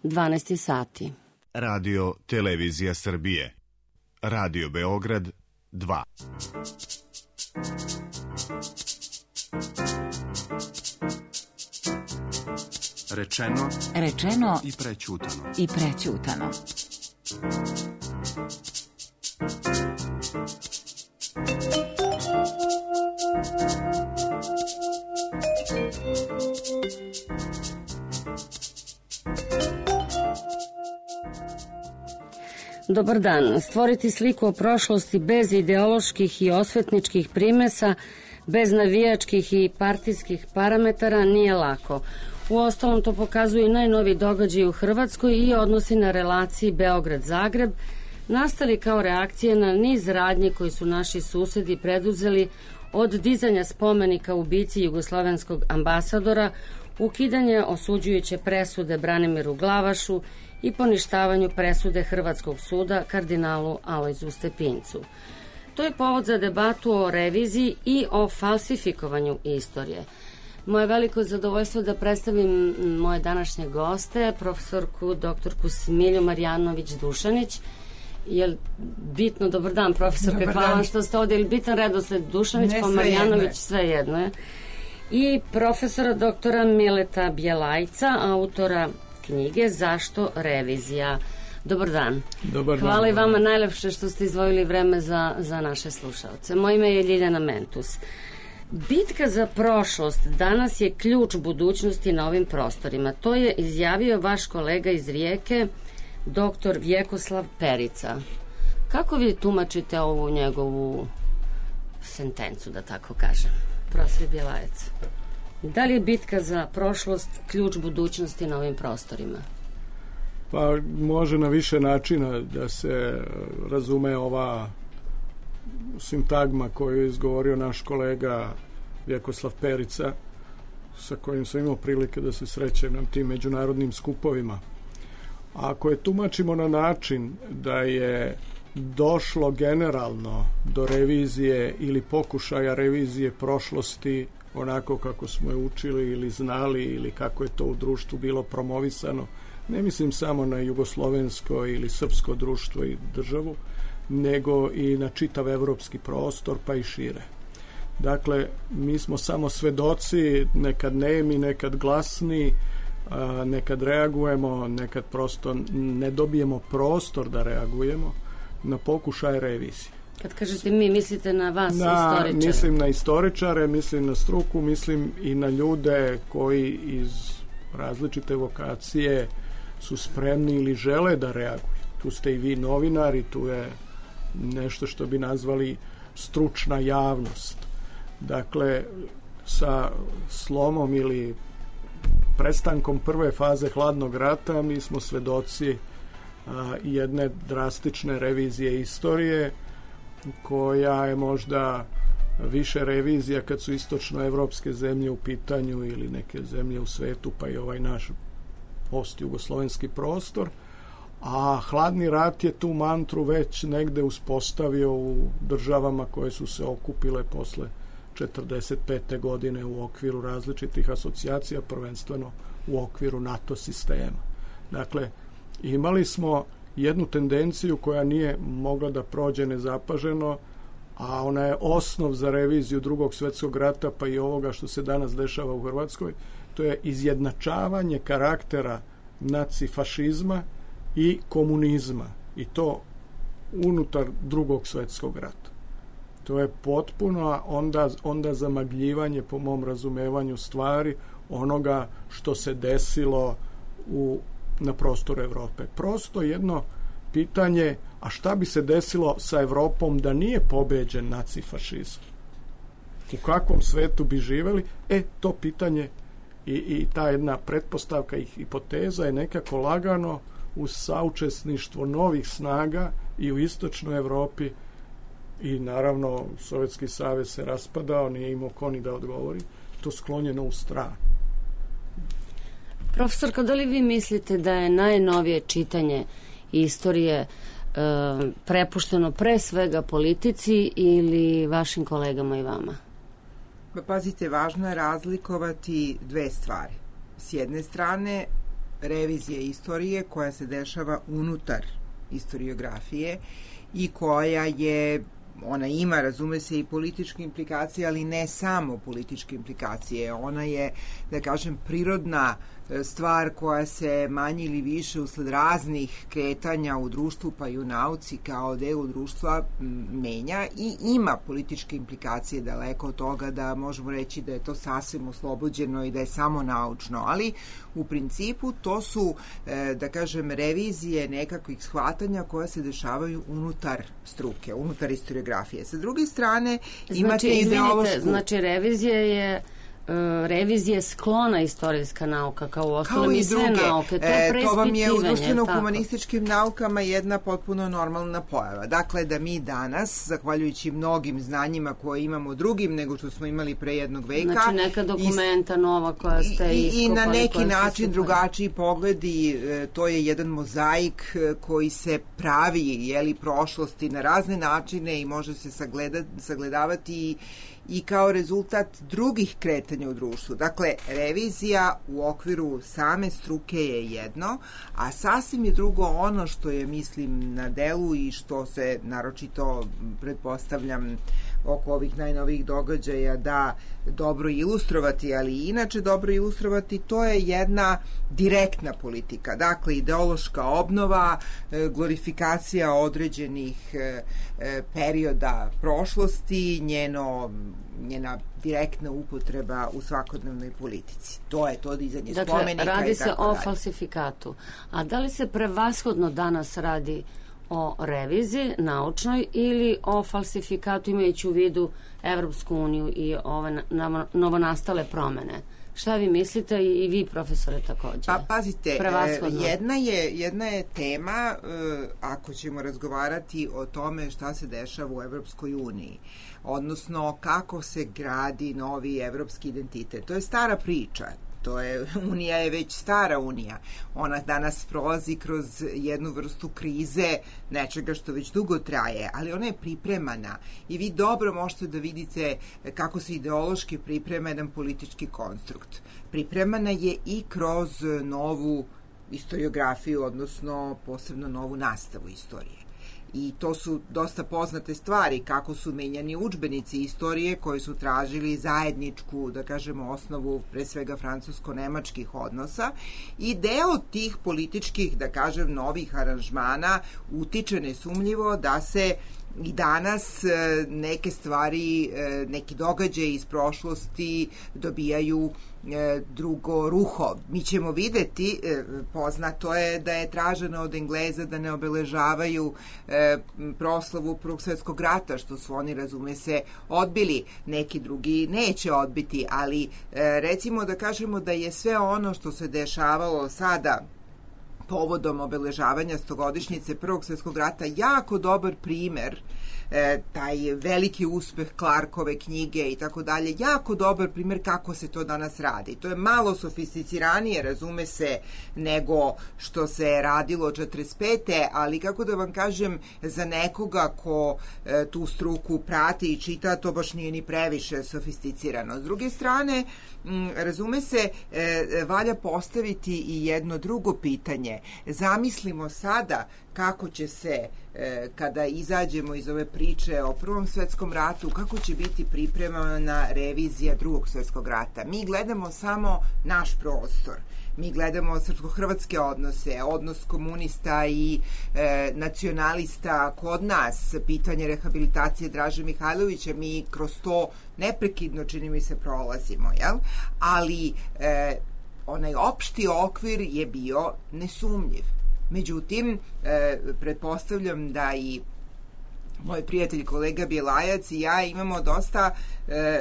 12 sati. Radio Televizija Srbije. Radio Beograd 2. Rečeno i prećutano. Dobar dan. Stvoriti sliku o prošlosti bez ideoloških i osvetničkih primesa, bez navijačkih i partijskih parametara nije lako. Uostalom to pokazuju i najnoviji događaji u Hrvatskoj i odnosi na relaciji Beograd-Zagreb, nastali kao reakcije na niz radnji koji su naši susedi preduzeli, od dizanja spomenika ubici jugoslovenskog ambasadora, ukidanje osuđujuće presude Branimiru Glavašu i poništavanju presude Hrvatskog suda kardinalu Alojzu Stepincu. To je povod za debatu o reviziji i o falsifikovanju istorije. Moje veliko zadovoljstvo da predstavim moje današnje goste, profesorku doktorku Smilju Marjanović-Dušanić. Je bitno, dobar dan profesorka, hvala vam što ste ovdje, ili bitan redosled Dušanić pa Marjanović, sve jedno je. I profesora doktora Mileta Bjelajca, autora knjige Zašto revizija. Dobar dan. Dobar dan. Hvala i vama najlepše što ste izdvojili vreme za naše slušalce. Moje ime je Ljiljana Mentus. Bitka za prošlost danas je ključ budućnosti na ovim prostorima. To je izjavio vaš kolega iz Rijeke, doktor Vjekoslav Perica. Kako vi tumačite ovu njegovu sentencu, da tako kažem? Profesor Bjelajac. Da li je bitka za prošlost ključ budućnosti na ovim prostorima? Pa može na više načina da se razume ova sintagma koju je izgovorio naš kolega Vjekoslav Perica, sa kojim sam imao prilike da se srećem na tim međunarodnim skupovima. A ako je tumačimo na način da je došlo generalno do revizije ili pokušaja revizije prošlosti onako kako smo je učili ili znali ili kako je to u društvu bilo promovisano, ne mislim samo na jugoslovensko ili srpsko društvo i državu, nego i na čitav evropski prostor pa i šire. Dakle, mi smo samo svedoci, nekad nemi, nekad glasni, nekad reagujemo, nekad prosto ne dobijemo prostor da reagujemo na pokušaj revizije. Kad kažete mi, mislite na vas, istoričare? Mislim na istoričare, mislim na struku, mislim i na ljude koji iz različite vokacije su spremni ili žele da reaguju. Tu ste i vi novinari, tu je nešto što bi nazvali stručna javnost. Dakle, sa slomom ili prestankom prve faze hladnog rata mi smo svedoci jedne drastične revizije istorije, koja je možda više revizija kad su istočnoevropske zemlje u pitanju ili neke zemlje u svetu, pa i ovaj naš post-jugoslovenski prostor, a hladni rat je tu mantru već negde uspostavio u državama koje su se okupile posle 45. godine u okviru različitih asocijacija, prvenstveno u okviru NATO sistema. Dakle, imali smo jednu tendenciju koja nije mogla da prođe nezapaženo, a ona je osnov za reviziju Drugog svjetskog rata pa i ovoga što se danas dešava u Hrvatskoj. To je izjednačavanje karaktera nacifašizma i komunizma, i to unutar Drugog svjetskog rata. To je potpuno onda zamagljivanje, po mom razumevanju stvari, onoga što se desilo na prostoru Evrope. Prosto jedno pitanje, a šta bi se desilo sa Evropom da nije pobeđen nacifašizam? U kakvom svetu bi živeli? To pitanje i ta jedna pretpostavka i hipoteza je nekako lagano uz saučesništvo novih snaga i u istočnoj Evropi, i naravno Sovjetski savez se raspadao, nije imao ko ni da odgovori, to sklonjeno u stranu. Profesorka, da li vi mislite da je najnovije čitanje istorije prepušteno pre svega politici ili vašim kolegama i vama? Pazite, važno je razlikovati dve stvari. S jedne strane, revizija istorije koja se dešava unutar istoriografije i koja je, ona ima, razume se, i političke implikacije, ali ne samo političke implikacije. Ona je, da kažem, prirodna stvar koja se manje ili više usled raznih kretanja u društvu pa i u nauci kao delu društva menja i ima političke implikacije, daleko od toga da možemo reći da je to sasvim oslobođeno i da je samo naučno, ali u principu to su, da kažem, revizije nekakvih shvatanja koja se dešavaju unutar struke, unutar historiografije. Sa druge strane, imate ideološku... Znači, revizije sklona istorijska nauka, kao u ostalom i sve nauke. To vam je u društveno-humanističkim naukama jedna potpuno normalna pojava. Dakle, da mi danas, zahvaljujući mnogim znanjima koje imamo drugim nego što smo imali pre jednog veka... Znači, neka dokumenta nova koja ste iskopali... I na neki način drugačiji pogledi, to je jedan mozaik koji se pravi, prošlosti na razne načine i može se sagledavati i kao rezultat drugih kretanja u društvu. Dakle, revizija u okviru same struke je jedno, a sasvim je drugo ono što je, mislim, na delu i što se naročito, pretpostavljam, oko ovih najnovijih događaja da dobro ilustrovati, ali i inače dobro ilustrovati, to je jedna direktna politika. Dakle, ideološka obnova, glorifikacija određenih perioda prošlosti, njena direktna upotreba u svakodnevnoj politici. To je to dizanje spomenika i tako dalje. Dakle, radi se o falsifikatu. A da li se prevashodno danas radi o reviziji naučnoj ili o falsifikatu imajući u vidu Evropsku uniju i ove novonastale promene? Šta vi mislite i vi, profesore, takođe? Pa pazite, jedna je tema, ako ćemo razgovarati o tome šta se dešava u Evropskoj uniji, odnosno kako se gradi novi evropski identitet. To je stara priča. Unija je već stara unija. Ona danas prolazi kroz jednu vrstu krize, nečega što već dugo traje, ali ona je pripremana i vi dobro možete da vidite kako se ideološki priprema jedan politički konstrukt. Pripremana je i kroz novu historiografiju, odnosno posebno novu nastavu istorije. I to su dosta poznate stvari, kako su menjani udžbenici istorije koji su tražili zajedničku, da kažemo, osnovu pre svega francusko-nemačkih odnosa i deo tih političkih, da kažem, novih aranžmana utiče nesumnjivo da se i danas neke stvari, neki događaji iz prošlosti dobijaju drugo ruho. Mi ćemo videti, poznato je da je traženo od Engleza da ne obeležavaju proslavu Prvog svetskog rata, što su oni, razume se, odbili. Neki drugi neće odbiti, ali recimo da kažemo da je sve ono što se dešavalo sada povodom obeležavanja 100-godišnjice Prvog svetskog rata jako dobar primer, taj veliki uspeh Clarkove knjige i tako dalje, jako dobar primer kako se to danas radi. To je malo sofisticiranije, razume se, nego što se radilo 45. ali kako da vam kažem, za nekoga ko tu struku prati i čita, to baš nije ni previše sofisticirano. S druge strane, razume se, valja postaviti i jedno drugo pitanje. Zamislimo sada kako će se, kada izađemo iz ove priče o Prvom svetskom ratu, kako će biti pripremana revizija Drugog svetskog rata. Mi gledamo samo naš prostor. Mi gledamo srpsko-hrvatske odnose, odnos komunista i nacionalista kod nas, pitanje rehabilitacije Draže Mihajlovića, mi kroz to neprekidno, čini mi se, prolazimo, jel? Ali onaj opšti okvir je bio nesumnjiv. Međutim, pretpostavljam da i moj prijatelj, kolega Bjelajac i ja imamo dosta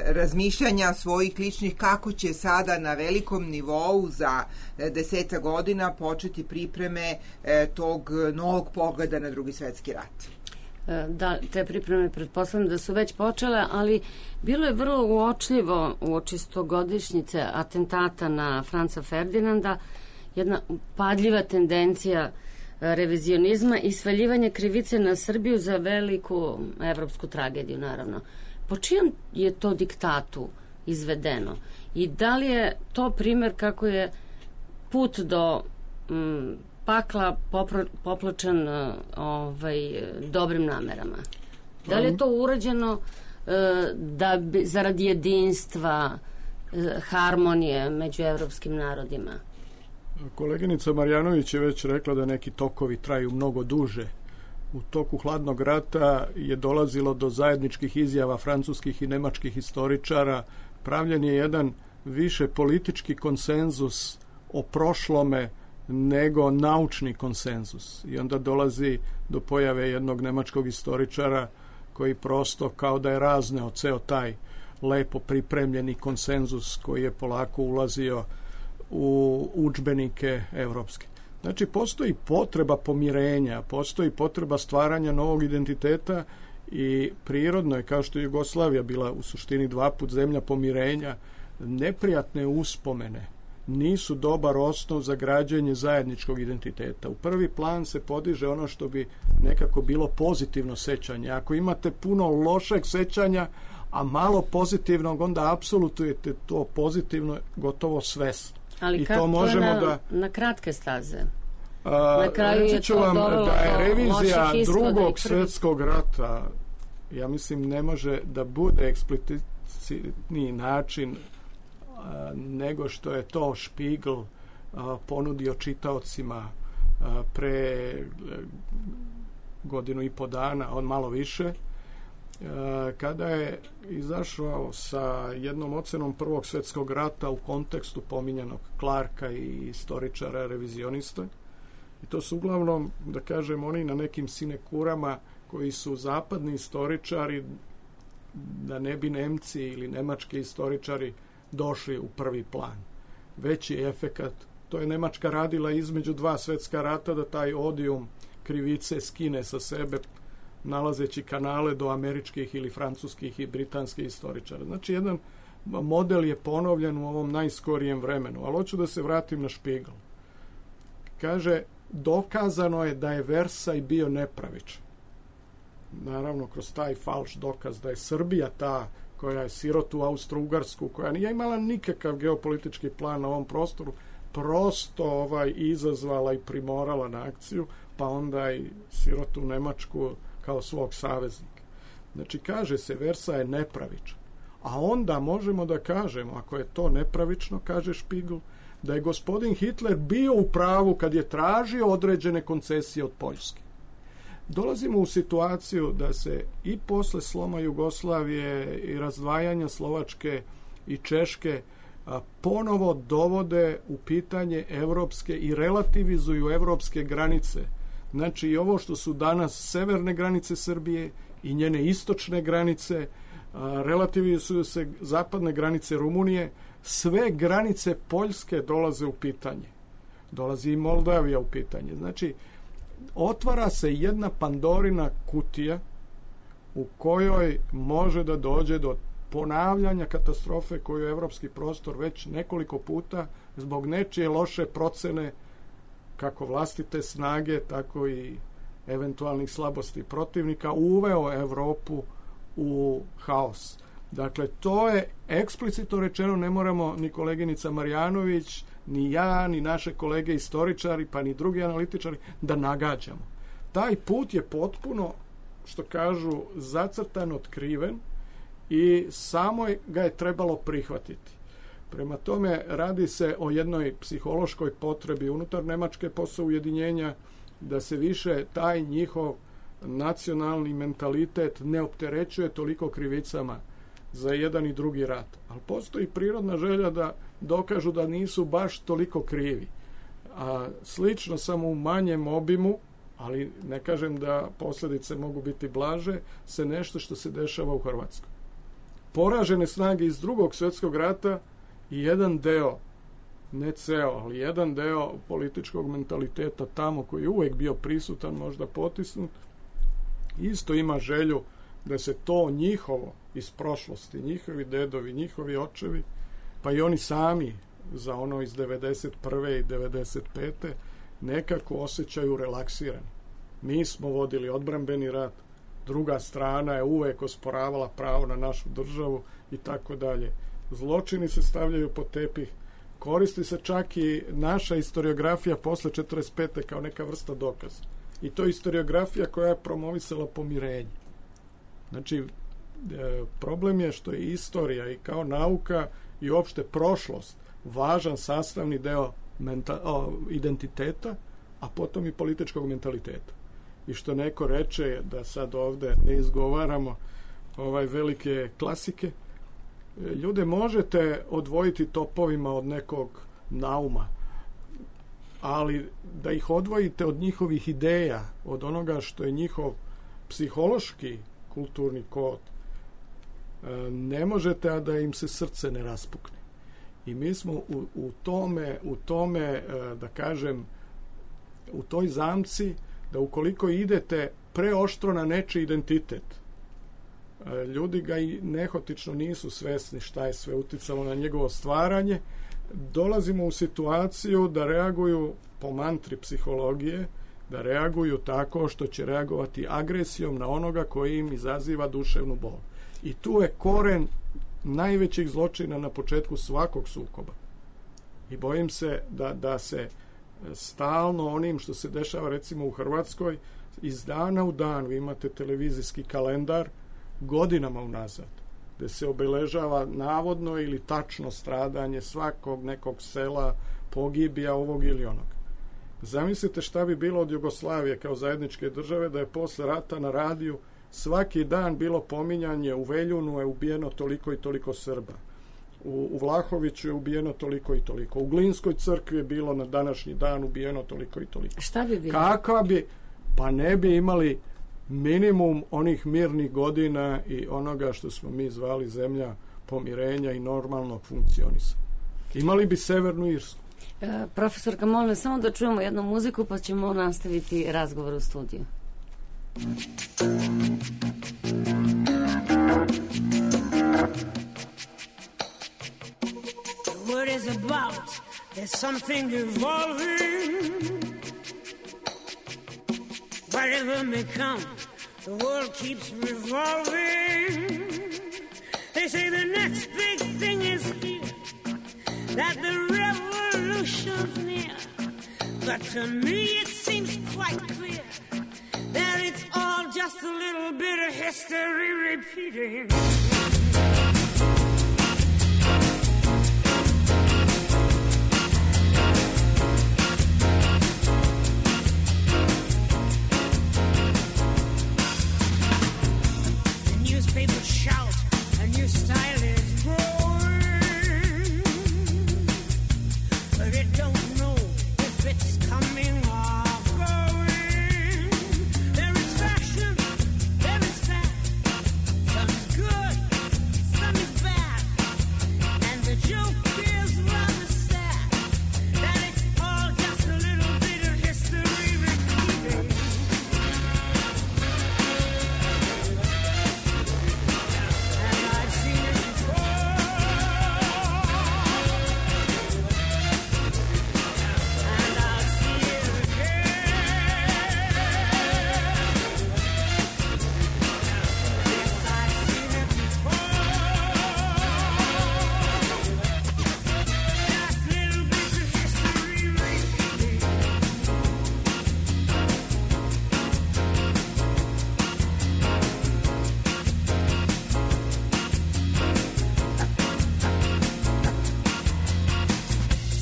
razmišljanja svojih ličnih kako će sada na velikom nivou za 10 godina početi pripreme tog novog pogleda na Drugi svetski rat. Da, te pripreme pretpostavljam da su već počele, ali bilo je vrlo uočljivo uoči 100-godišnjice atentata na Franca Ferdinanda, jedna upadljiva tendencija revizionizma i svaljivanje krivice na Srbiju za veliku evropsku tragediju, naravno. Po čijem je to diktatu izvedeno? I da li je to primer kako je put do pakla popločen dobrim namerama. Da li je to urađeno zarad jedinstva, harmonije među evropskim narodima? Koleginica Marjanović je već rekla da neki tokovi traju mnogo duže. U toku hladnog rata je dolazilo do zajedničkih izjava francuskih i nemačkih historičara. Pravljen je jedan više politički konsenzus o prošlome nego naučni konsenzus. I onda dolazi do pojave jednog nemačkog historičara koji prosto kao da je razneo ceo taj lepo pripremljeni konsenzus koji je polako ulazio u udžbenike evropske. Znači, postoji potreba pomirenja, postoji potreba stvaranja novog identiteta i prirodno je, kao što je Jugoslavija bila u suštini 2 put zemlja pomirenja, neprijatne uspomene nisu dobar osnov za građenje zajedničkog identiteta. U prvi plan se podiže ono što bi nekako bilo pozitivno sećanje. Ako imate puno lošeg sećanja, a malo pozitivnog, onda apsolutujete to pozitivno gotovo svesno. Ali i kako to možemo na kratke staze? Na kraju je to vam da je revizija drugog svjetskog rata, ja mislim, ne može da bude eksplicitniji način nego što je to Spiegel ponudio čitaocima pre 1.5 godina, on malo više, kada je izašao sa jednom ocenom Prvog svjetskog rata u kontekstu pominjanog Clarka i istoričara revizionista. I to su uglavnom, da kažem, oni na nekim sinekurama koji su zapadni istoričari, da ne bi Nemci ili nemački istoričari došli u prvi plan. Veći efekat, to je Nemačka radila između 2 svjetska rata, da taj odijum krivice skine sa sebe, nalazeći kanale do američkih ili francuskih i britanskih istoričara. Znači, jedan model je ponovljen u ovom najskorijem vremenu. Ali hoću da se vratim na Spiegel. Kaže, dokazano je da je Versaj bio nepravičan. Naravno, kroz taj falš dokaz da je Srbija ta koja je sirotu Austro-Ugarsku, koja nije imala nikakav geopolitički plan na ovom prostoru, prosto izazvala i primorala na akciju, pa onda i sirotu Nemačku kao svog saveznika. Znači, kaže se, Versaj je nepravičan. A onda možemo da kažemo, ako je to nepravično, kaže Spiegel, da je gospodin Hitler bio u pravu kad je tražio određene koncesije od Poljske. Dolazimo u situaciju da se i posle sloma Jugoslavije i razdvajanja Slovačke i Češke ponovo dovode u pitanje evropske i relativizuju evropske granice. Znači, i ovo što su danas severne granice Srbije i njene istočne granice, relativizuju se zapadne granice Rumunije, sve granice Poljske dolaze u pitanje. Dolazi i Moldavija u pitanje. Znači, otvara se jedna Pandorina kutija u kojoj može da dođe do ponavljanja katastrofe koju je evropski prostor već nekoliko puta zbog nečije loše procene kako vlastite snage, tako i eventualnih slabosti protivnika uveo Evropu u haos. Dakle, to je eksplicitno rečeno, ne moramo ni koleginica Marjanović, ni ja, ni naše kolege istoričari, pa ni drugi analitičari da nagađamo. Taj put je potpuno, što kažu, zacrtan, otkriven i samo ga je trebalo prihvatiti. Prema tome, radi se o jednoj psihološkoj potrebi unutar Nemačke posle ujedinjenja da se više taj njihov nacionalni mentalitet ne opterećuje toliko krivicama za jedan i drugi rat. Ali postoji prirodna želja da dokažu da nisu baš toliko krivi. A slično, samo u manjem obimu, ali ne kažem da posljedice mogu biti blaže, se nešto što se dešava u Hrvatskoj. Poražene snage iz Drugog svjetskog rata i jedan deo, ne ceo, ali jedan deo političkog mentaliteta tamo koji je uvijek bio prisutan, možda potisnut, isto ima želju da se to njihovo iz prošlosti, njihovi dedovi, njihovi očevi, pa i oni sami za ono iz 91. i 95. nekako osjećaju relaksirani. Mi smo vodili odbrambeni rat, druga strana je uvek osporavala pravo na našu državu i tako dalje. Zločini se stavljaju pod tepih, koristi se čak i naša historiografija posle 45. kao neka vrsta dokaza. I to je historiografija koja je promovisala pomirenje. Znači, problem je što je istorija i kao nauka i uopšte prošlost važan sastavni deo identiteta, a potom i političkog mentaliteta. I što neko reče, da sad ovde ne izgovaramo velike klasike, ljude možete odvojiti topovima od nekog nauma, ali da ih odvojite od njihovih ideja, od onoga što je njihov psihološki kulturni kod, ne možete, a da im se srce ne raspukne. I mi smo u tome, da kažem, u toj zamci, da ukoliko idete preoštro na nečiji identitet, ljudi ga i nehotično nisu svesni šta je sve uticalo na njegovo stvaranje, dolazimo u situaciju da reaguju po mantri psihologije, da reaguju tako što će reagovati agresijom na onoga koji im izaziva duševnu bol. I tu je koren najvećih zločina na početku svakog sukoba. I bojim se da se stalno onim što se dešava recimo u Hrvatskoj, iz dana u dan vi imate televizijski kalendar godinama unazad, gde se obeležava navodno ili tačno stradanje svakog nekog sela, pogibija ovog ili onog. Zamislite šta bi bilo od Jugoslavije kao zajedničke države da je posle rata na radiju svaki dan bilo pominjanje: u Veljunu je ubijeno toliko i toliko Srba, u Vlahoviću je ubijeno toliko i toliko, u Glinskoj crkvi je bilo na današnji dan ubijeno toliko i toliko. Šta bi bilo? Kakva bi? Pa ne bi imali minimum onih mirnih godina i onoga što smo mi zvali zemlja pomirenja i normalnog funkcionisanja. Imali bi Severnu Irsku. Profesorka, molim me samo da čujemo jednu muziku pa ćemo nastaviti razgovor u studiju. The word is about, there's something evolving. Whatever may come, the world keeps revolving. They say the next big thing is here, that the revolution's near. But to me it seems quite clear that it's all just a little bit of history repeating. The newspapers shout, a new style is growing, but it don't know if it's coming or going. There is fashion, there is fat, some is good, some is bad, and the joke is rather sad that it's all just a little bit of history repeating. And I've seen it before, and I'll see it again. Yes, I've seen it before. Just little bits of history repeating.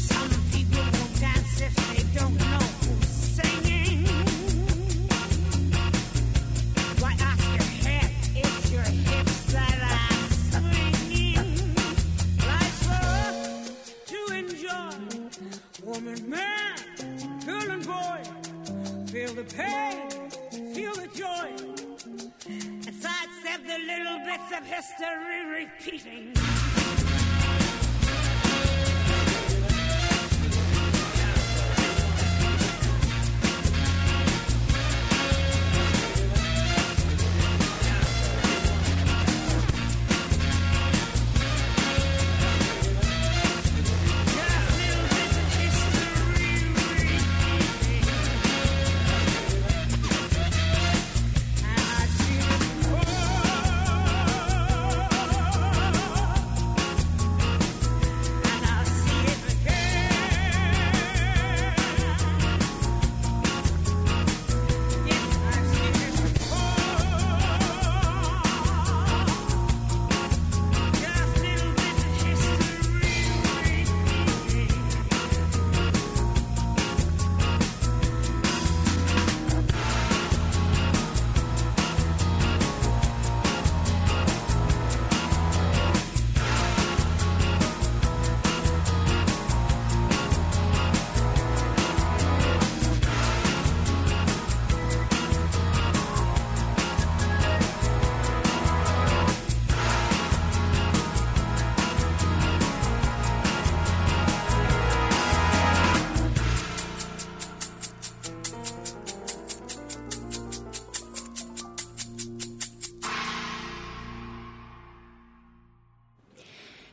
Some people won't dance if they don't know who's singing. Why ask your head? It's your hips that are swinging. Life's for us to enjoy. Woman, man, girl and boy, feel the pain, feel the joy, and sidestep the little bits of history repeating. Just little bits of history repeating. And I've seen it before.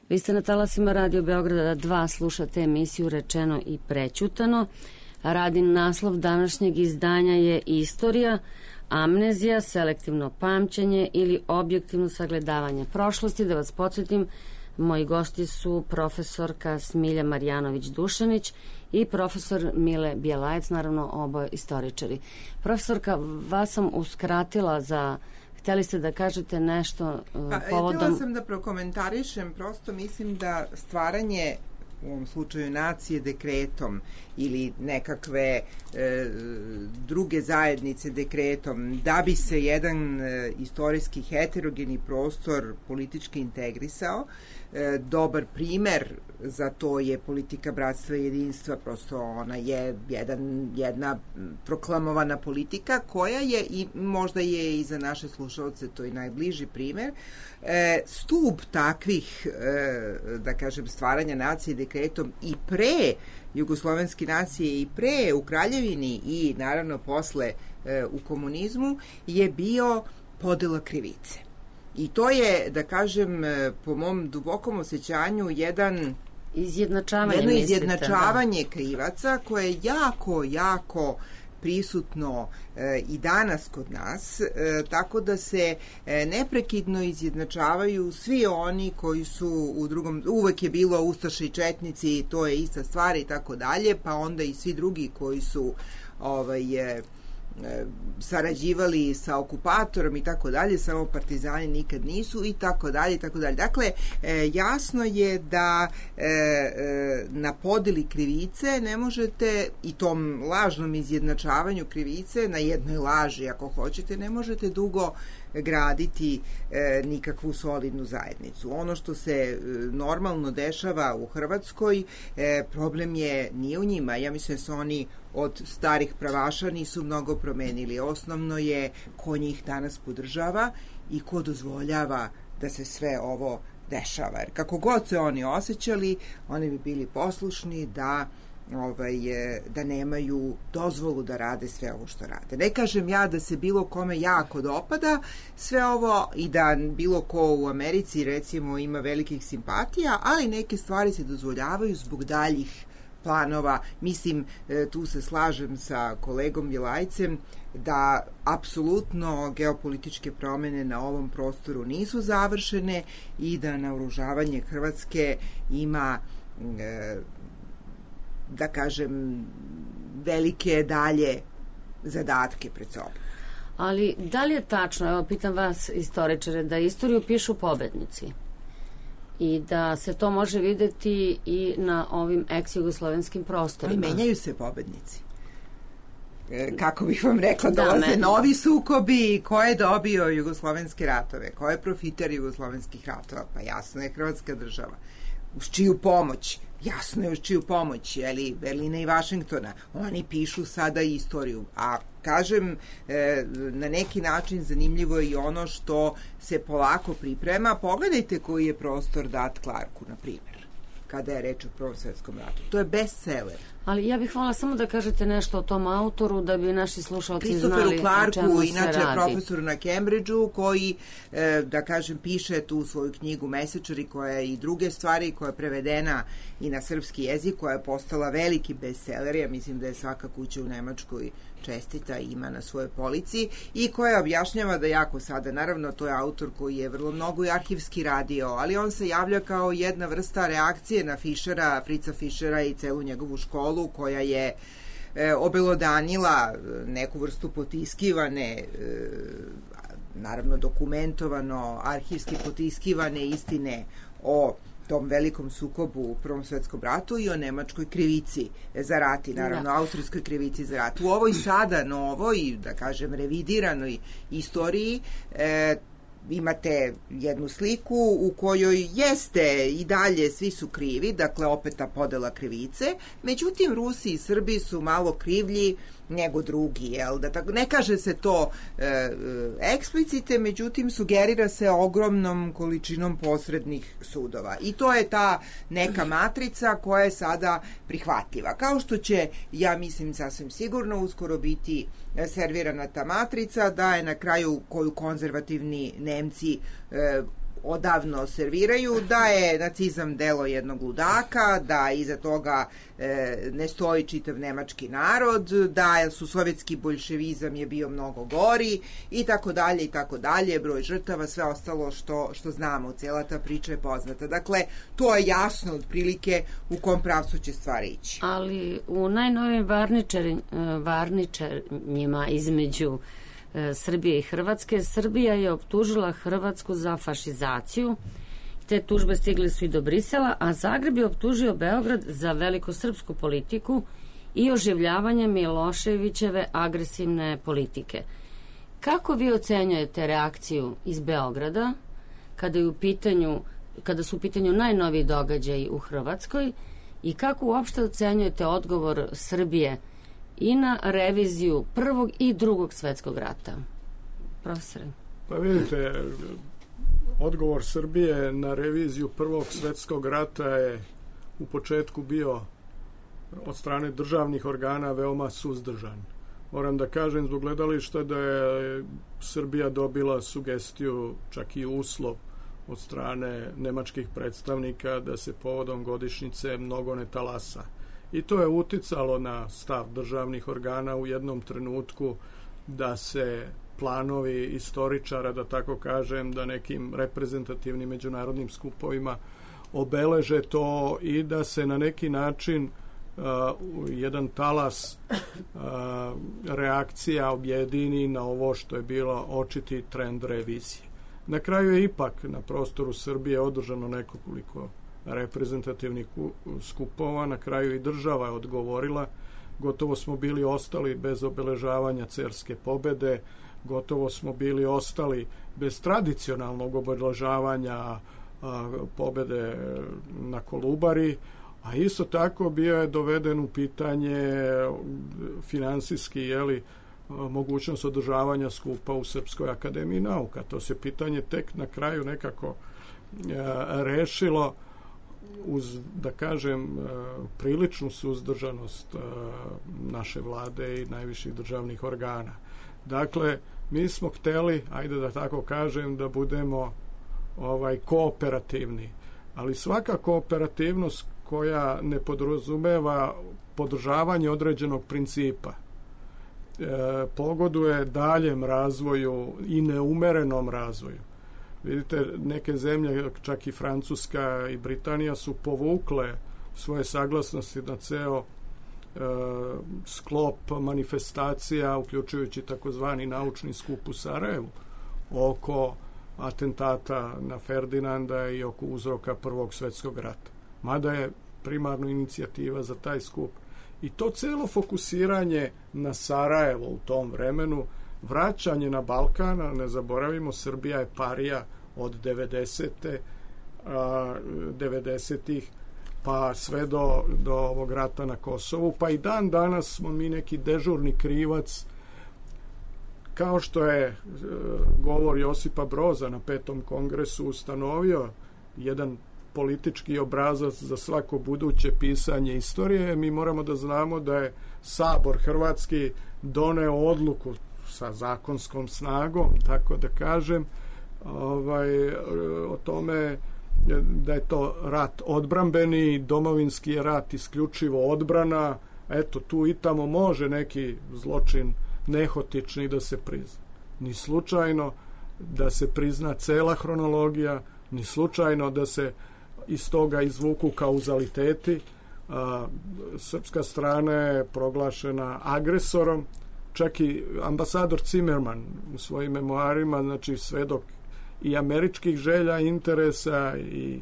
Vi ste na talasima Radio Beograda 2, slušate emisiju Rečeno i prećutano. Radin naslov današnjeg izdanja je Istorija, amnezija, selektivno pamćenje ili objektivno sagledavanje prošlosti. Da vas podsjetim, moji gosti su profesorka Smilja Marjanović-Dušanić i profesor Mile Bjelajec, naravno oboje istoričari. Profesorka, vas sam uskratila za... Htjeli ste da kažete nešto povodom... Htjela sam da prokomentarišem, prosto mislim da stvaranje u ovom slučaju nacije dekretom ili nekakve druge zajednice dekretom, da bi se jedan istorijski heterogeni prostor politički integrisao. Dobar primer za to je politika bratstva i jedinstva, prosto ona je jedna proklamovana politika koja je, i možda je i za naše slušalce to i najbliži primer, stub takvih, da kažem, stvaranja nacije dekretom i pre jugoslovenske nacije i pre u Kraljevini i naravno posle u komunizmu je bio podela krivice. I to je, da kažem, po mom dubokom osjećanju jedno izjednačavanje krivaca koje je jako prisutno i danas kod nas, tako da se neprekidno izjednačavaju svi oni koji su u drugom, uvek je bilo ustaše i četnici, to je ista stvar i tako dalje, pa onda i svi drugi koji su sarađivali sa okupatorom i tako dalje, samo partizani nikad nisu i tako dalje i tako dalje. Dakle, jasno je da na podeli krivice ne možete, i tom lažnom izjednačavanju krivice, na jednoj laži ako hoćete, ne možete dugo graditi nikakvu solidnu zajednicu. Ono što se normalno dešava u Hrvatskoj, problem nije u njima. Ja mislim da su oni od starih pravaša nisu mnogo promenili. Osnovno je ko njih danas podržava i ko dozvoljava da se sve ovo dešava. Jer kako god se oni osjećali, oni bi bili poslušni da nemaju dozvolu da rade sve ovo što rade. Ne kažem ja da se bilo kome jako dopada sve ovo i da bilo ko u Americi recimo ima velikih simpatija, ali neke stvari se dozvoljavaju zbog daljih planova. Mislim, tu se slažem sa kolegom Bjelajcem da apsolutno geopolitičke promene na ovom prostoru nisu završene i da naoružavanje Hrvatske ima da kažem velike dalje zadatke pred sobom. Ali da li je tačno, evo pitam vas istoričare, da istoriju pišu pobednici i da se to može videti i na ovim ex-jugoslovenskim prostorima? Ali menjaju se pobednici. Kako bih vam rekla, dolaze novi sukobi. Ko je dobio jugoslovenske ratove? Ko je profiter jugoslovenskih ratova? Pa jasno je Hrvatska država. Uz čiju pomoć? Jasno je uz čiju pomoć, Berlina i Vašingtona. Oni pišu sada istoriju. A kažem, na neki način zanimljivo je i ono što se polako priprema. Pogledajte koji je prostor dat Clarku, na primjer, kada je reč o Prvom svetskom ratu. To je bestseller. Ali ja bih voljela samo da kažete nešto o tom autoru, da bi naši slušalci znali o čemu se radi. Christopheru Clarku, inače profesoru na Cambridgeu, koji, da kažem, piše tu svoju knjigu Mesečari, koja je i druge stvari, koja je prevedena i na srpski jezik, koja je postala veliki bestseller, ja mislim da je svaka kuća u Nemačkoj čestita ima na svojoj polici, i koja objašnjava da jako sada, naravno to je autor koji je vrlo mnogo i arhivski radio, ali on se javlja kao jedna vrsta reakcije na Fischera, Fritza Fischera i celu njegovu školu koja je obelodanila neku vrstu potiskivane, naravno dokumentovano, arhivski potiskivane istine o tom velikom sukobu u Prvom svetskom ratu i o nemačkoj krivici za rat i naravno austrijskoj krivici za rat. U ovoj sada novoj, da kažem, revidiranoj istoriji imate jednu sliku u kojoj jeste i dalje svi su krivi, dakle opet ta podela krivice, međutim Rusi i Srbi su malo krivlji nego drugi, jel? Da tako, ne kaže se to eksplicite, međutim sugerira se ogromnom količinom posrednih sudova. I to je ta neka matrica koja je sada prihvatljiva. Kao što će, ja mislim sasvim sigurno, uskoro biti servirana ta matrica, da je na kraju koju konzervativni Nemci odavno serviraju, da je nacizam delo jednog ludaka, da iza toga ne stoji čitav nemački narod, da su sovjetski boljševizam je bio mnogo gori i tako dalje, broj žrtava, sve ostalo što znamo, cijela ta priča je poznata. Dakle, to je jasno otprilike u kom pravcu će stvari ići. Ali u najnovim varničarnjima između Srbije i Hrvatske, Srbija je optužila Hrvatsku za fašizaciju. Te tužbe stigle su i do Brisela, a Zagreb je optužio Beograd za velikosrpsku politiku i oživljavanje Miloševićeve agresivne politike. Kako vi ocenjujete reakciju iz Beograda kada su u pitanju najnoviji događaji u Hrvatskoj i kako uopšte ocenjujete odgovor Srbije i na reviziju Prvog i Drugog svjetskog rata? Profesore. Pa vidite, odgovor Srbije na reviziju Prvog svjetskog rata je u početku bio od strane državnih organa veoma suzdržan. Moram da kažem zbog gledališta da je Srbija dobila sugestiju, čak i uslov od strane nemačkih predstavnika da se povodom godišnjice mnogo ne talasa. I to je uticalo na stav državnih organa u jednom trenutku da se planovi istoričara, da tako kažem, da nekim reprezentativnim međunarodnim skupovima obeleže to i da se na neki način jedan talas reakcija objedini na ovo što je bilo očiti trend revizije. Na kraju je ipak na prostoru Srbije održano nekoliko reprezentativnih skupova, na kraju i država je odgovorila, gotovo smo bili ostali bez obeležavanja Cerske pobede, gotovo smo bili ostali bez tradicionalnog obeležavanja pobede na Kolubari, a isto tako bio je doveden u pitanje finansijski, mogućnost održavanja skupa u Srpskoj akademiji nauka. To se pitanje tek na kraju nekako rešilo uz, da kažem, priličnu suzdržanost naše vlade i najviših državnih organa. Dakle, mi smo hteli, ajde da tako kažem, da budemo kooperativni, ali svaka kooperativnost koja ne podrazumeva podržavanje određenog principa pogoduje daljem razvoju i neumerenom razvoju. Vidite, neke zemlje, čak i Francuska i Britanija, su povukle svoje saglasnosti na ceo sklop manifestacija, uključujući takozvani naučni skup u Sarajevu, oko atentata na Ferdinanda i oko uzroka Prvog svjetskog rata. Mada je primarno inicijativa za taj skup. I to celo fokusiranje na Sarajevo u tom vremenu, vraćanje na Balkan, ne zaboravimo, Srbija je parija od 90-ih pa sve do ovog rata na Kosovu, pa i dan danas smo mi neki dežurni krivac, kao što je govor Josipa Broza na 5. kongresu ustanovio jedan politički obrazac za svako buduće pisanje istorije. Mi moramo da znamo da je Sabor hrvatski doneo odluku sa zakonskom snagom, tako da kažem, o tome da je to rat odbrambeni, domovinski je rat isključivo odbrana. Eto, tu i tamo može neki zločin nehotični da se prizna. Ni slučajno da se prizna cela hronologija, ni slučajno da se iz toga izvuku kauzaliteti. Srpska strana je proglašena agresorom, čak i ambasador Zimmerman u svojim memoarima, znači svedok i američkih želja, interesa i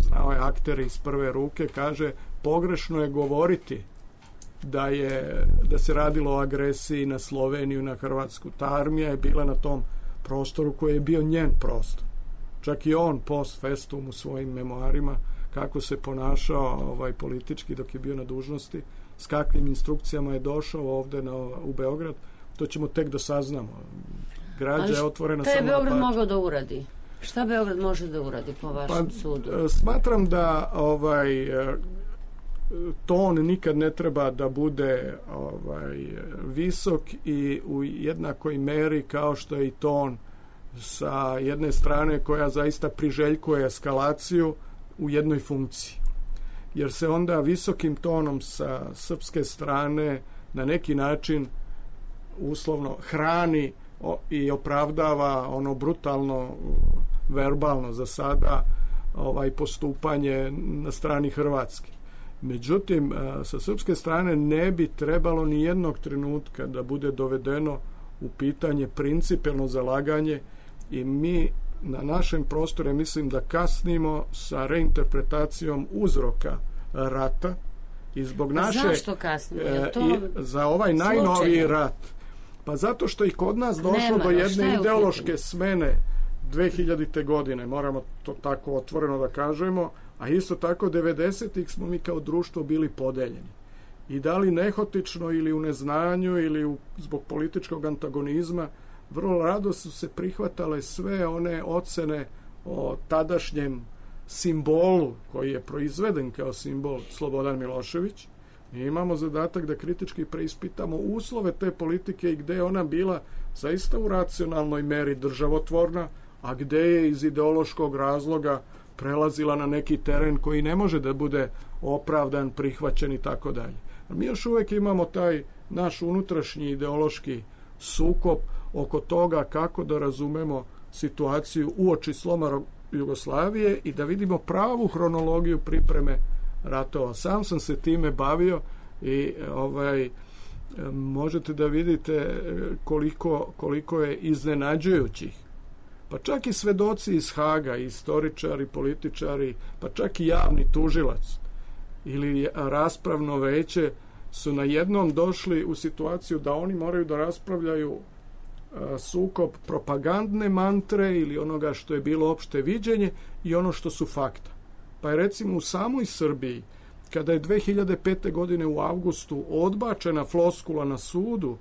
znao je aktere iz prve ruke, kaže pogrešno je govoriti da se radilo o agresiji na Sloveniju, na Hrvatsku. Ta armija je bila na tom prostoru koji je bio njen prostor. Čak i on post festum u svojim memoarima kako se ponašao politički dok je bio na dužnosti, s kakvim instrukcijama je došao ovde u Beograd, to ćemo tek da saznamo. Građa je otvorena samo na Beograd mogao da uradi? Šta Beograd može da uradi po vašem sudu? Smatram da ton nikad ne treba da bude visok i u jednakoj meri kao što je i ton sa jedne strane koja zaista priželjkuje eskalaciju u jednoj funkciji. Jer se onda visokim tonom sa srpske strane na neki način uslovno hrani i opravdava ono brutalno, verbalno za sada postupanje na strani Hrvatske. Međutim, sa srpske strane ne bi trebalo ni jednog trenutka da bude dovedeno u pitanje principijelno zalaganje i mi na našem prostoru mislim da kasnimo sa reinterpretacijom uzroka rata i zbog naše... Zašto kasnimo? Za ovaj najnoviji rat. Pa zato što i kod nas došlo do jedne ideološke smene 2000. godine, moramo to tako otvoreno da kažemo, a isto tako 90-ih smo mi kao društvo bili podeljeni. I da li nehotično ili u neznanju ili zbog političkog antagonizma, vrlo rado su se prihvatale sve one ocene o tadašnjem simbolu koji je proizveden kao simbol Slobodan Milošević. Mi imamo zadatak da kritički preispitamo uslove te politike i gde je ona bila zaista u racionalnoj meri državotvorna, a gde je iz ideološkog razloga prelazila na neki teren koji ne može da bude opravdan, prihvaćen i tako dalje. Mi još uvijek imamo taj naš unutrašnji ideološki sukob oko toga kako da razumemo situaciju uoči sloma Jugoslavije i da vidimo pravu hronologiju pripreme ratova. Sam sam se time bavio i možete da vidite koliko je iznenađujućih. Pa čak i svedoci iz Haga, istoričari, političari, pa čak i javni tužilac ili raspravno veće su na jednom došli u situaciju da oni moraju da raspravljaju sukob propagandne mantre ili onoga što je bilo opšte viđenje i ono što su fakta. Pa je recimo u samoj Srbiji, kada je 2005. godine u avgustu odbačena floskula na sudu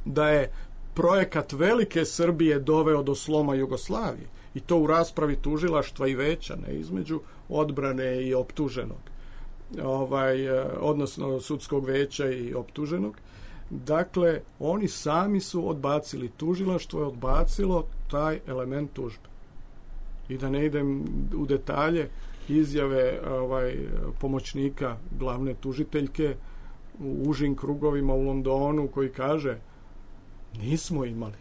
da je projekat velike Srbije doveo do sloma Jugoslavije, i to u raspravi tužilaštva i veća, ne između odbrane i optuženog, odnosno sudskog veća i optuženog. Dakle, oni sami su odbacili, tužilaštvo je odbacilo taj element tužbe. I da ne idem u detalje, izjave pomoćnika glavne tužiteljke u užim krugovima u Londonu koji kaže: nismo imali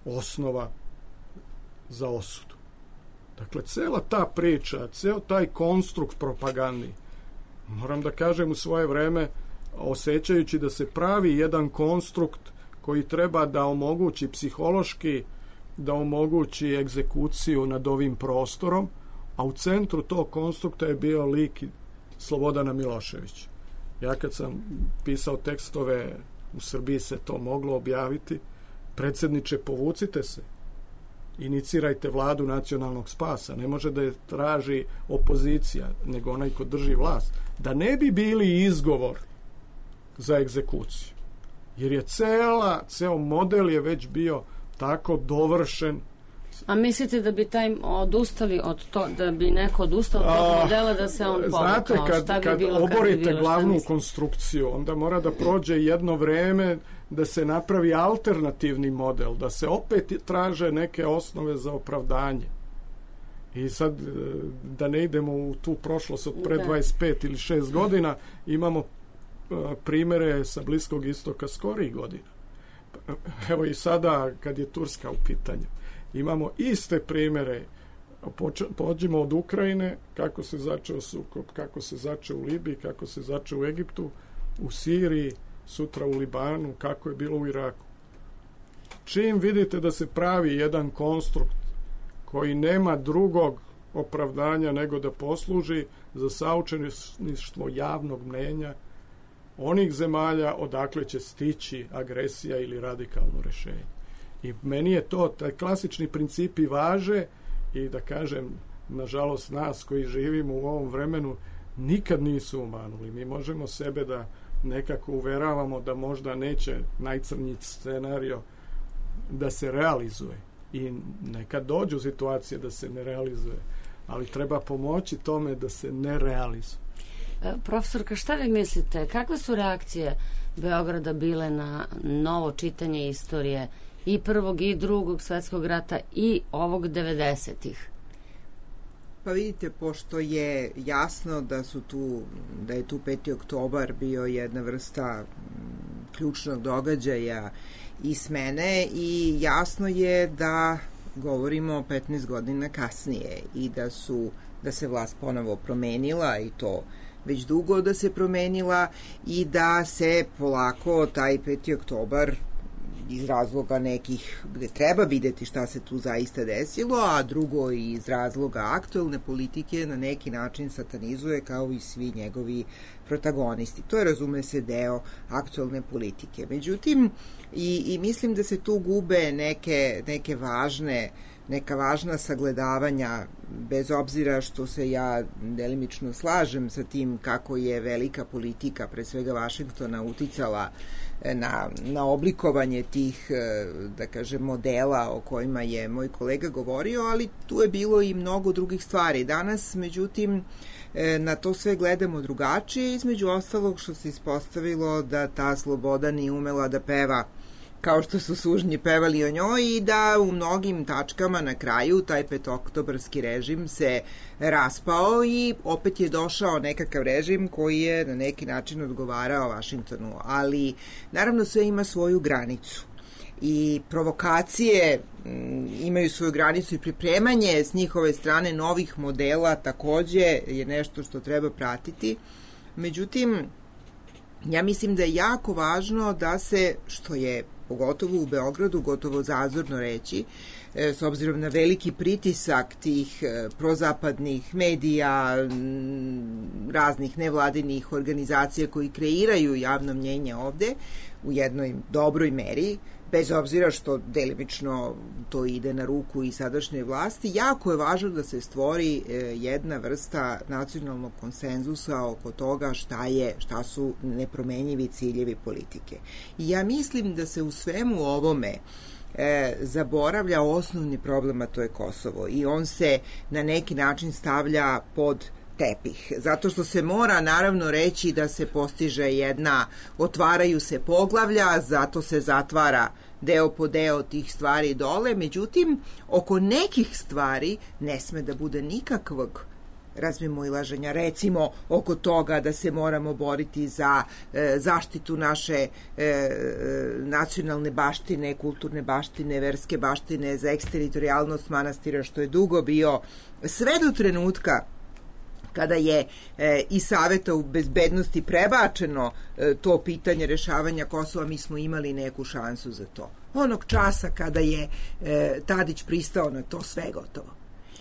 osnova za osudu. Dakle, cela ta priča, ceo taj konstrukt propagandni, moram da kažem u svoje vreme, osjećajući da se pravi jedan konstrukt koji treba da omogući psihološki, da omogući egzekuciju nad ovim prostorom, a u centru tog konstrukta je bio lik Slobodana Miloševića. Ja kad sam pisao tekstove, u Srbiji se to moglo objaviti: predsjedniče, povucite se, inicirajte vladu nacionalnog spasa, ne može da je traži opozicija, nego onaj ko drži vlast, da ne bi bili izgovor za egzekuciju. Jer je ceo model je već bio tako dovršen. A mislite da bi odustali od to, da bi neko odustao od tog modela da se on povukao? Znate, kad oborite glavnu konstrukciju, onda mora da prođe jedno vreme da se napravi alternativni model, da se opet traže neke osnove za opravdanje. I sad, da ne idemo u tu prošlost od pre 25 ili 6 godina, imamo primere sa Bliskog istoka skorijih godina. Evo i sada, kad je Turska u pitanju, imamo iste primere. Pođimo od Ukrajine, kako se začeo sukob, kako se začeo u Libiji, kako se začeo u Egiptu, u Siriji, sutra u Libanu, kako je bilo u Iraku. Čim vidite da se pravi jedan konstrukt koji nema drugog opravdanja nego da posluži za saučesništvo javnog mnenja onih zemalja odakle će stići agresija ili radikalno rešenje. I meni je to, taj klasični principi važe i da kažem, nažalost, nas koji živimo u ovom vremenu nikad nisu umanuli. Mi možemo sebe da nekako uveravamo da možda neće najcrnji scenario da se realizuje. I nekad dođu situacije da se ne realizuje, ali treba pomoći tome da se ne realizuje. Profesorka, šta vi mislite? Kakve su reakcije Beograda bile na novo čitanje istorije i Prvog i Drugog svetskog rata i ovog 90-ih? Pa vidite, pošto je jasno da je tu 5. oktobar bio jedna vrsta ključnog događaja i smene, i jasno je da govorimo 15 godina kasnije i da se vlast ponovo promenila, i to već dugo da se promenila, i da se polako taj 5. oktobar iz razloga nekih gde treba videti šta se tu zaista desilo, a drugo iz razloga aktuelne politike na neki način satanizuje, kao i svi njegovi protagonisti. To je, razume se, deo aktuelne politike. Međutim, i mislim da se tu gube neka važna sagledavanja, bez obzira što se ja delimično slažem sa tim kako je velika politika, pre svega Vašingtona, uticala na oblikovanje tih, da kažem, modela o kojima je moj kolega govorio, ali tu je bilo i mnogo drugih stvari. Danas, međutim, na to sve gledamo drugačije, između ostalog što se ispostavilo da ta sloboda nije umela da peva kao što su sužnji pevali o njoj, i da u mnogim tačkama na kraju taj petooktobarski režim se raspao i opet je došao nekakav režim koji je na neki način odgovarao Vašingtonu. Ali naravno sve ima svoju granicu i provokacije imaju svoju granicu, i pripremanje s njihove strane novih modela takođe je nešto što treba pratiti. Međutim, ja mislim da je jako važno da se, što je pogotovo u Beogradu gotovo zazorno reći, s obzirom na veliki pritisak tih prozapadnih medija, raznih nevladinih organizacija koji kreiraju javno mnjenje ovde u jednoj dobroj meri, bez obzira što delimično to ide na ruku i sadašnje vlasti, jako je važno da se stvori jedna vrsta nacionalnog konsenzusa oko toga šta su nepromenjivi ciljevi politike. I ja mislim da se u svemu ovome zaboravlja osnovni problem, a to je Kosovo, i on se na neki način stavlja pod tepih, zato što se mora naravno reći da se postiže otvaraju se poglavlja, zato se zatvara deo po deo tih stvari dole, međutim, oko nekih stvari ne sme da bude nikakvog razmimoilaženja, recimo oko toga da se moramo boriti za zaštitu naše nacionalne baštine, kulturne baštine, verske baštine, za eksteritorijalnost manastira, što je dugo bio, sve do trenutka kada je iz Saveta u bezbednosti prebačeno to pitanje rešavanja Kosova, mi smo imali neku šansu za to. Onog časa kada je Tadić pristao na to, sve gotovo.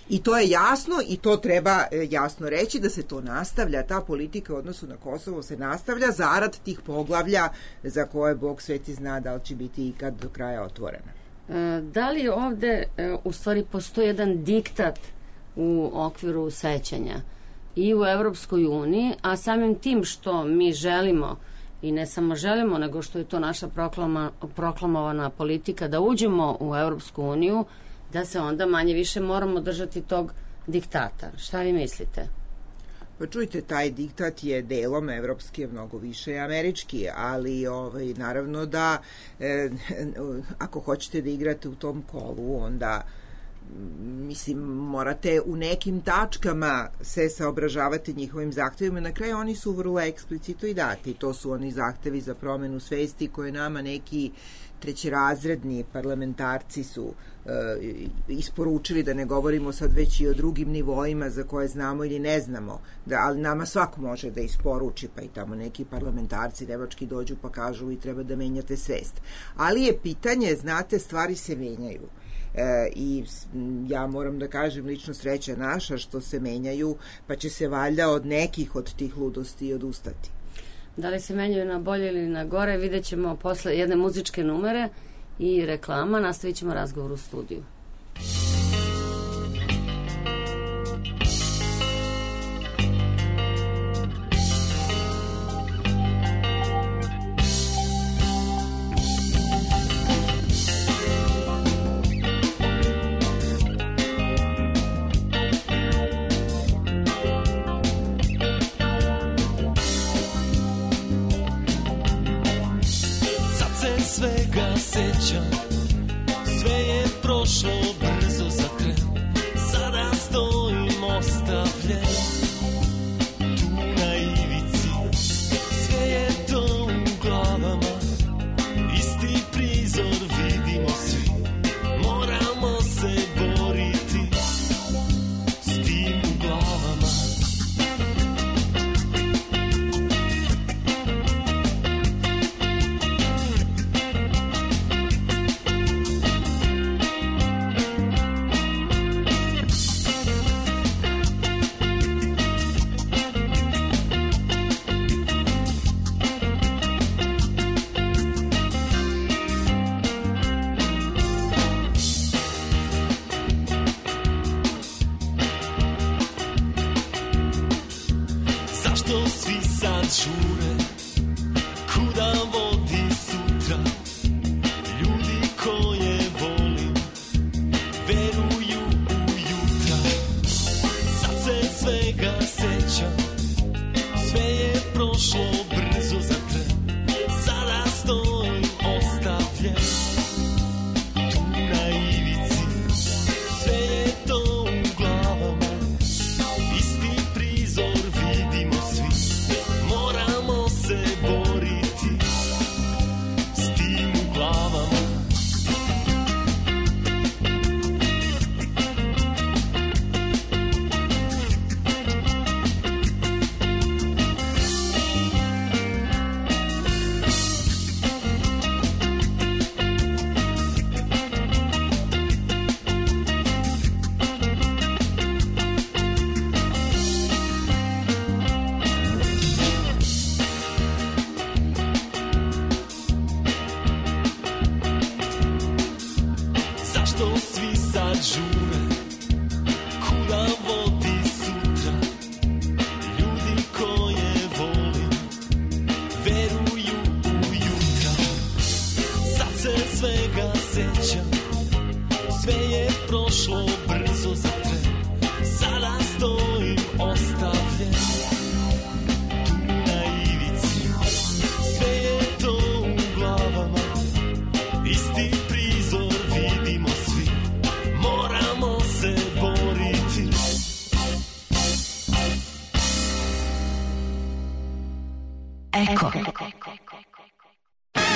I to je jasno, i to treba jasno reći, da se to nastavlja, ta politika u odnosu na Kosovo se nastavlja zarad tih poglavlja za koje Bog sveti zna da li će biti ikad do kraja otvorena. Da li ovde u stvari postoji jedan diktat u okviru sećanja i u Evropskoj uniji, a samim tim što mi želimo, i ne samo želimo, nego što je to naša proklamovana politika, da uđemo u Evropsku uniju, da se onda manje više moramo držati tog diktata. Šta vi mislite? Pa čujte, taj diktat je delom evropski, mnogo više američki, ali naravno da ako hoćete da igrate u tom kolu, onda mislim, morate u nekim tačkama se saobražavati njihovim zahtevima. Na kraju oni su vrlo eksplicitno i dati. To su oni zahtevi za promenu svesti koje nama neki trećerazredni parlamentarci su isporučili, da ne govorimo sad već i o drugim nivoima za koje znamo ili ne znamo, ali nama svako može da isporuči, pa i tamo neki parlamentarci nemački dođu pa kažu vi treba da menjate svest. Ali je pitanje, znate, stvari se menjaju. I ja moram da kažem, lično sreća naša što se menjaju, pa će se valjda od nekih od tih ludosti odustati. Da li se menjaju na bolje ili na gore, vidjet ćemo posle jedne muzičke numere i reklama. Nastavit ćemo razgovor u studiju. Svega sećam, žure, kuda vodi sutra. Ljudi koje volim veruju u jutra. Sad se svega sećam, sve je prošlo brzo za tren. Sada stojim ostavljen tu na ivici. Sve je to u glavama, isti prizor vidimo svi. Moramo se boriti. Eko.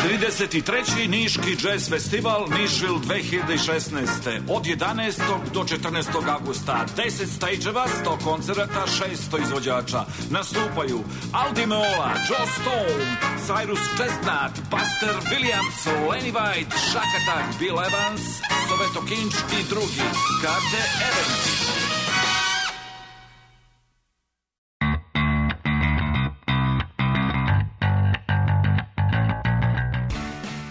33. Niški jazz festival Nišvil 2016. Od 11. do 14. augusta 10 stageeva, 100 koncerata, 600 izvođača. Nastupaju Aldi Meola, Joe Stone, Cyrus Chestnut, Buster Williams, Lenny White, Shack Attack, Bill Evans, Soveto Kinč i drugi. Karte Event.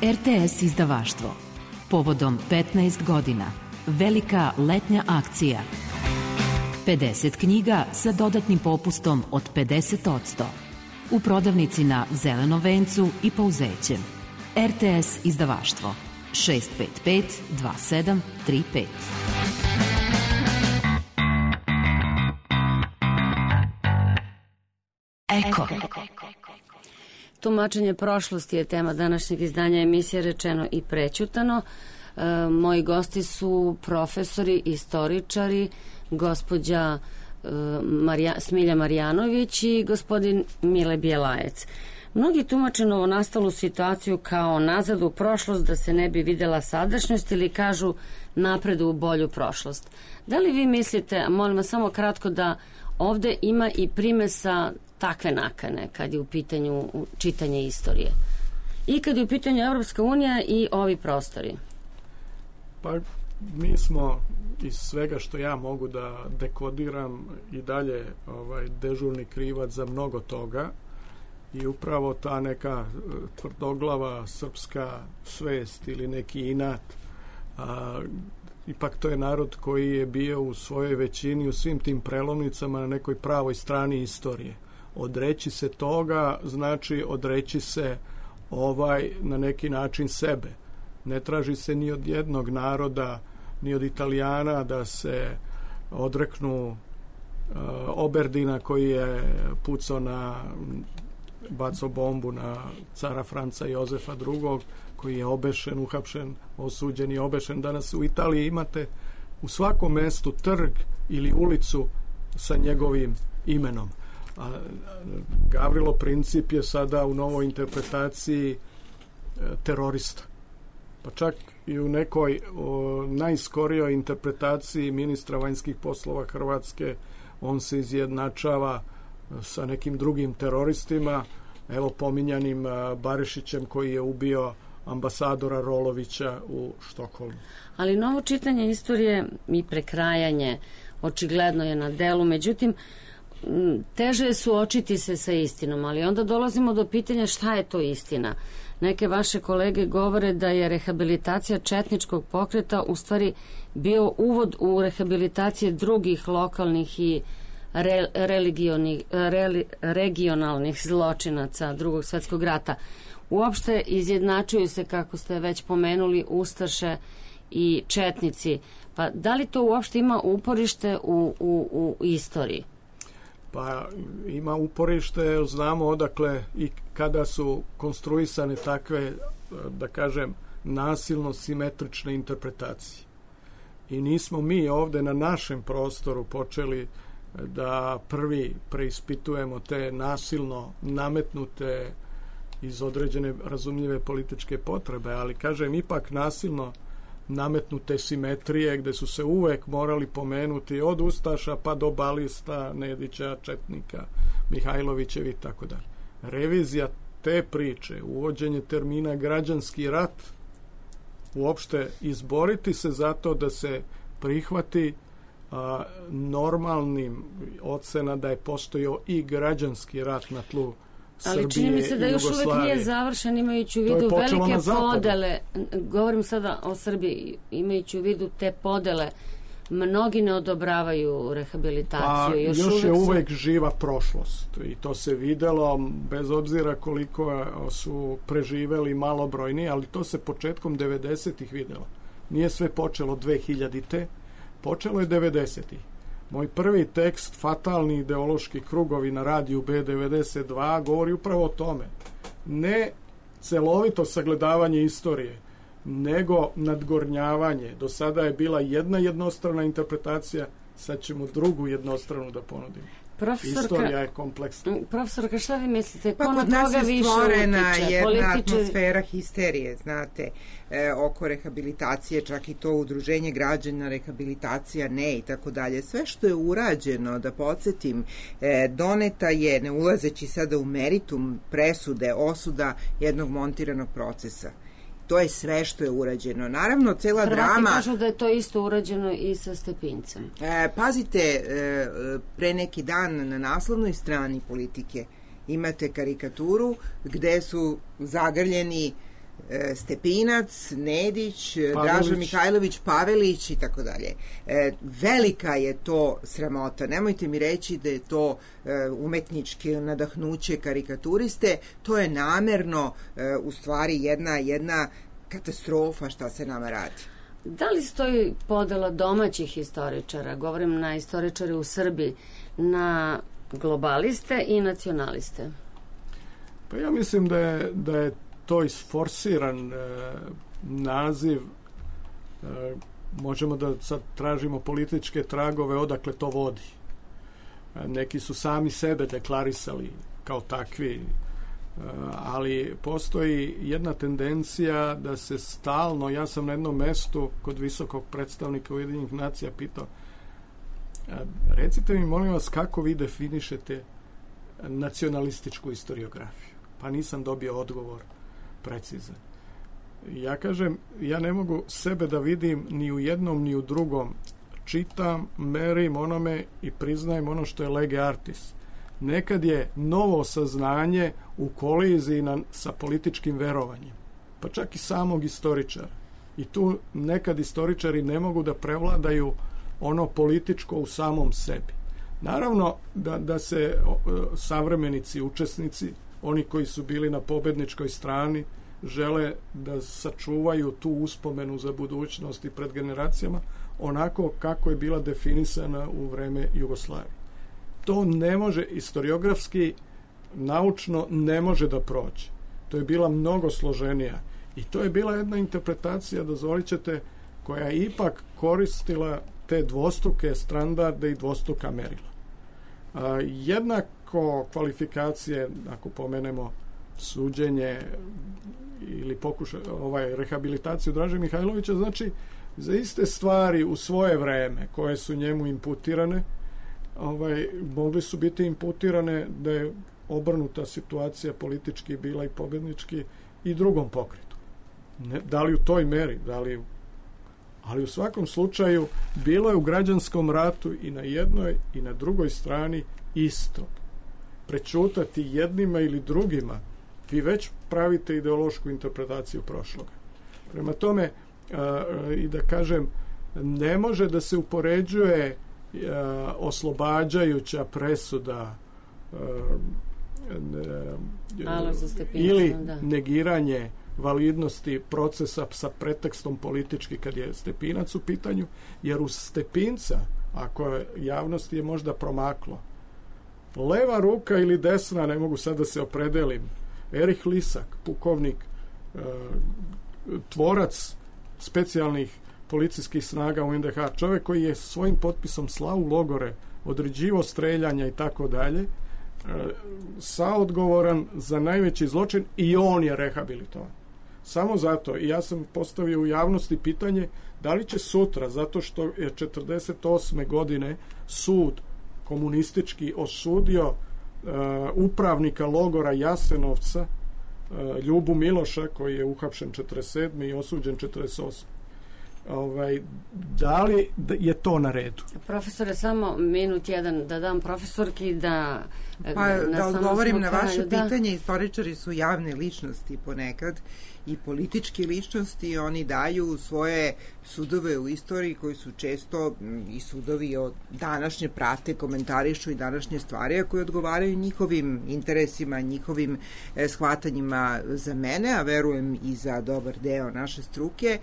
RTS izdavaštvo. Povodom 15 godina. Velika letnja akcija. 50 knjiga sa dodatnim popustom od 50%. U prodavnici na Zelenom vencu i Pouzećem. RTS izdavaštvo. 655 2735. Eko. Tumačenje prošlosti je tema današnjeg izdanja emisije Rečeno i prećutano. Moji gosti su profesori, istoričari, gospođa Smilja Marjanović i gospodin Mile Bjelajec. Mnogi tumače novonastalu situaciju kao nazad u prošlost da se ne bi videla sadašnjost ili kažu napred u bolju prošlost. Da li vi mislite, molim vas samo kratko, da ovde ima i primesa takve nakane kad je u pitanju čitanje istorije i kad je u pitanju Evropska unija i ovi prostori? Pa mi smo iz svega što ja mogu da dekodiram i dalje dežurni krivac za mnogo toga i upravo ta neka tvrdoglava srpska svest ili neki inat, ipak to je narod koji je bio u svojoj većini u svim tim prelomnicama na nekoj pravoj strani istorije. Odreći se toga znači odreći se na neki način sebe. Ne traži se ni od jednog naroda, ni od Italijana da se odreknu Oberdina koji je pucao bacao bombu na cara Franca Jozefa II, koji je obešen, uhapšen, osuđen i obešen. Danas u Italiji imate u svakom mestu trg ili ulicu sa njegovim imenom. Gavrilo Princip je sada u novoj interpretaciji terorista. Pa čak i u nekoj najskorijoj interpretaciji ministra vanjskih poslova Hrvatske on se izjednačava sa nekim drugim teroristima, evo pominjanim Barišićem koji je ubio ambasadora Rolovića u Štokholmu. Ali novo čitanje istorije i prekrajanje očigledno je na delu, međutim teže je suočiti se sa istinom, ali onda dolazimo do pitanja šta je to istina. Neke vaše kolege govore da je rehabilitacija četničkog pokreta u stvari bio uvod u rehabilitacije drugih lokalnih i regionalnih zločinaca Drugog svjetskog rata. Uopšte izjednačuju se, kako ste već pomenuli, ustaše i četnici. Pa da li to uopšte ima uporište u istoriji? Pa ima uporište, znamo odakle i kada su konstruisane takve, da kažem, nasilno simetrične interpretacije. I nismo mi ovde na našem prostoru počeli da prvi preispitujemo te nasilno nametnute iz određene razumljive političke potrebe, ali kažem ipak nasilno nametnute simetrije gde su se uvek morali pomenuti od ustaša pa do balista, Nedića, četnika, Mihajlovićevi i tako dalje. Revizija te priče, uvođenje termina građanski rat, uopšte izboriti se za to da se prihvati normalnim ocena da je postojao i građanski rat na tlu Srbije i Jugoslavije. Ali čini mi se da još uvek nije završen, imajući u vidu velike podele. Govorim sada o Srbiji, imajući u vidu te podele. Mnogi ne odobravaju rehabilitaciju. Pa još je uvek živa prošlost i to se videlo, bez obzira koliko su preživeli malobrojni, ali to se početkom 90-ih videlo. Nije sve počelo 2000-te, počelo je 90-ih. Moj prvi tekst, Fatalni ideološki krugovi na radiju B92, govori upravo o tome. Ne celovito sagledavanje istorije, nego nadgornjavanje. Do sada je bila jedna jednostrana interpretacija, sad ćemo drugu jednostranu da ponudimo. Istorija je kompleksna. Profesorka, šta vi mislite? Pa kod nas je stvorena jedna atmosfera histerije, znate, oko rehabilitacije, čak i to udruženje građana, rehabilitacija ne i tako dalje. Sve što je urađeno, da podsjetim, doneta je, ne ulazeći sada u meritum presude, osuda jednog montiranog procesa. To je sve što je urađeno. Naravno, cela drama... Hrvati kažu da je to isto urađeno i sa Stepincem. Pazite, pre neki dan na naslovnoj strani Politike imate karikaturu gde su zagrljeni Stepinac, Nedić, Draža Mihajlović, Pavelić i tako dalje. Velika je to sramota. Nemojte mi reći da je to umetnički nadahnuće karikaturiste. To je namerno u stvari jedna katastrofa šta se nama radi. Da li stoji podela domaćih istoričara, govorim na istoričare u Srbiji, na globaliste i nacionaliste? Pa ja mislim da je to isforsiran naziv. Možemo da sad tražimo političke tragove odakle to vodi. Neki su sami sebe deklarisali kao takvi, ali postoji jedna tendencija da se stalno, ja sam na jednom mestu kod visokog predstavnika Ujedinjenih nacija pitao, recite mi molim vas kako vi definišete nacionalističku istoriografiju. Pa nisam dobio odgovor precizan. Ja kažem, ja ne mogu sebe da vidim ni u jednom ni u drugom. Čitam, merim onome i priznajem ono što je lege artis. Nekad je novo saznanje u koliziji sa političkim verovanjem, pa čak i samog istoričara. I tu nekad istoričari ne mogu da prevladaju ono političko u samom sebi. Naravno da se savremenici, učesnici, oni koji su bili na pobedničkoj strani, žele da sačuvaju tu uspomenu za budućnost i pred generacijama onako kako je bila definisana u vreme Jugoslavije. To ne može, historiografski, naučno ne može da prođe. To je bila mnogo složenija i to je bila jedna interpretacija, dozvolit ćete, koja je ipak koristila te dvostruke standarde i dvostruka merila. Jednako kvalifikacije, ako pomenemo suđenje ili rehabilitaciju Draže Mihajlovića, znači za iste stvari u svoje vreme koje su njemu imputirane, mogli su biti imputirane da je obrnuta situacija politički bila i pobednički i drugom pokretu. Da li u toj meri, ali u svakom slučaju bilo je u građanskom ratu i na jednoj i na drugoj strani isto. Prećutati jednima ili drugima, vi već pravite ideološku interpretaciju prošloga. Prema tome, i da kažem, ne može da se upoređuje oslobađajuća presuda ili negiranje validnosti procesa sa pretekstom politički kad je Stepinac u pitanju, jer uz Stepinca, ako javnosti je možda promaklo, leva ruka ili desna, ne mogu sad da se opredelim, Erich Lisak, pukovnik, tvorac specijalnih policijskih snaga u NDH, čovjek koji je svojim potpisom slao u logore, određivo streljanja i tako dalje, saodgovoran za najveći zločin i on je rehabilitovan. Samo zato, i ja sam postavio u javnosti pitanje da li će sutra, zato što je 48. godine sud komunistički osudio upravnika logora Jasenovca, Ljubu Miloša, koji je uhapšen 47. i osuđen 48. Da li je to na redu? Profesore, samo minut jedan da dam profesorki da... Da odgovorim na vaše pitanje, istoričari su javne ličnosti ponekad i političke ličnosti, oni daju svoje sudove u istoriji koji su često i sudovi od današnje prate, komentarišu i današnje stvari, a koji odgovaraju njihovim interesima, njihovim shvatanjima. Za mene, a verujem i za dobar deo naše struke,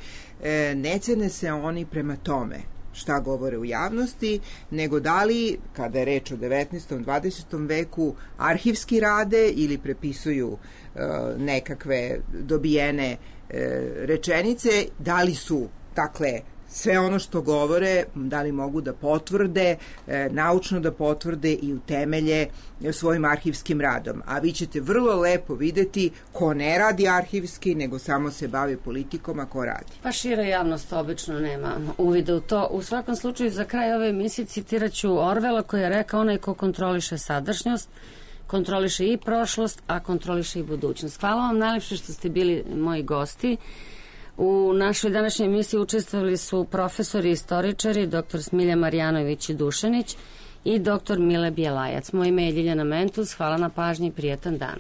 ne cene se oni prema tome šta govore u javnosti, nego da li, kada je reč o 19. 20. veku, arhivski rade ili prepisuju nekakve dobijene rečenice, da li su, dakle, sve ono što govore, da li mogu da potvrde, naučno da potvrde i utemelje svojim arhivskim radom. A vi ćete vrlo lepo videti ko ne radi arhivski, nego samo se bavi politikom, a ko radi. Pa šira javnost obično nema uvida u to. U svakom slučaju, za kraj ove emisije citirat ću Orvela koji je rekao: onaj ko kontroliše sadašnjost, kontroliše i prošlost, a kontroliše i budućnost. Hvala vam najlepše što ste bili moji gosti. U našoj današnjoj emisiji učestvovali su profesori i istoričari dr. Smilja Marjanović i Dušanić i dr. Mile Bjelajac. Moje ime je Ljiljana Mentus. Hvala na pažnji i prijatan dan.